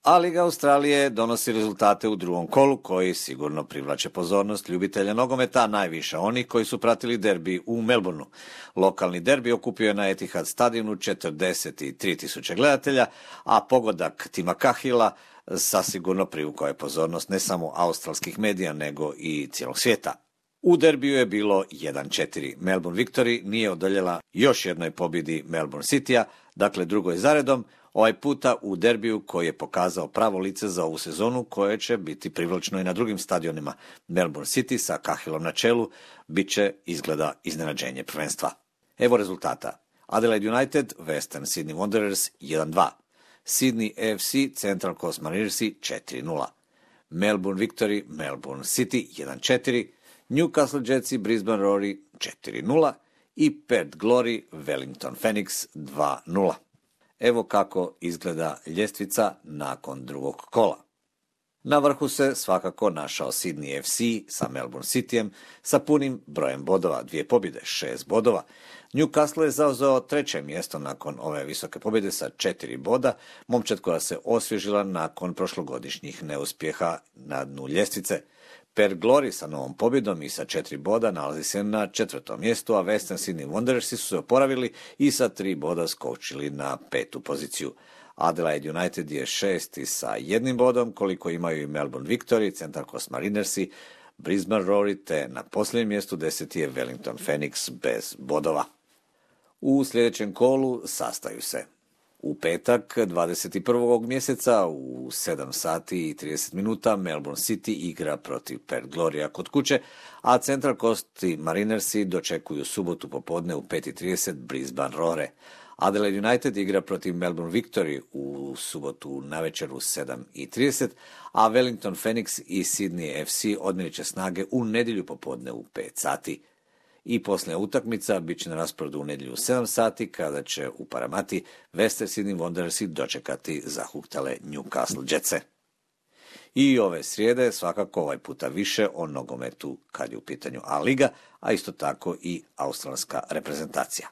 A Liga Australije donosi rezultate u drugom kolu koji sigurno privlače pozornost ljubitelja nogometa, najviše onih koji su pratili derbi u Melbourneu. Lokalni derbi okupio je na Etihad stadionu 43.000 gledatelja, a pogodak Tima Cahilla zasigurno privukao je pozornost ne samo australskih medija nego i cijelog svijeta. U derbiju je bilo 1-4. Melbourne Victory nije odoljela još jednoj pobjedi Melbourne Citya, dakle drugoj zaredom, ovaj puta u derbiju koji je pokazao pravo lice za ovu sezonu koje će biti privlačno i na drugim stadionima. Melbourne City sa Cahillom na čelu bit će izgleda iznenađenje prvenstva. Evo rezultata. Adelaide United, Western Sydney Wanderers 1-2. Sydney AFC, Central Coast Marinersi 4-0. Melbourne Victory, Melbourne City 1-4. Newcastle Jetsi, Brisbane Roar 4-0 i Perth Glory, Wellington Phoenix 2-0. Evo kako izgleda ljestvica nakon drugog kola. Na vrhu se svakako našao Sydney FC sa Melbourne Cityjem sa punim brojem bodova, 2 pobjede, 6 bodova. Newcastle je zauzeo 3. mjesto nakon ove visoke pobjede sa 4 boda, momčad koja se osvježila nakon prošlogodišnjih neuspjeha na dnu ljestvice. Perth Glory sa novom pobjedom i sa 4 boda nalazi se na 4. mjestu, a Western Sydney Wanderersi su se oporavili i sa 3 boda skočili na 5. poziciju. Adelaide United je 6. sa 1 bodom, koliko imaju i Melbourne Victory, Central Coast Marinersi, Brisbane Roar, te na posljednjem mjestu 10. je Wellington Phoenix bez bodova. U sljedećem kolu sastaju se u petak 21. mjeseca u 7 sati i 30 minuta Melbourne City igra protiv Perth Glorya kod kuće, a Central Coast Marinersi dočekuju subotu popodne u 5:30 Brisbane Roare. Adelaide United igra protiv Melbourne Victory u subotu navečer u 7:30, a Wellington Phoenix i Sydney FC odmjerit će snage u nedjelju popodne u 5 sati. I posljednja utakmica bit će na rasporedu u nedjelju u 7 sati, kada će u Paramati Western Sydney Wanderersi dočekati zahuktale Newcastle Jetse. I ove srijede svakako ovaj puta više o nogometu kad je u pitanju A liga, a isto tako i australska reprezentacija.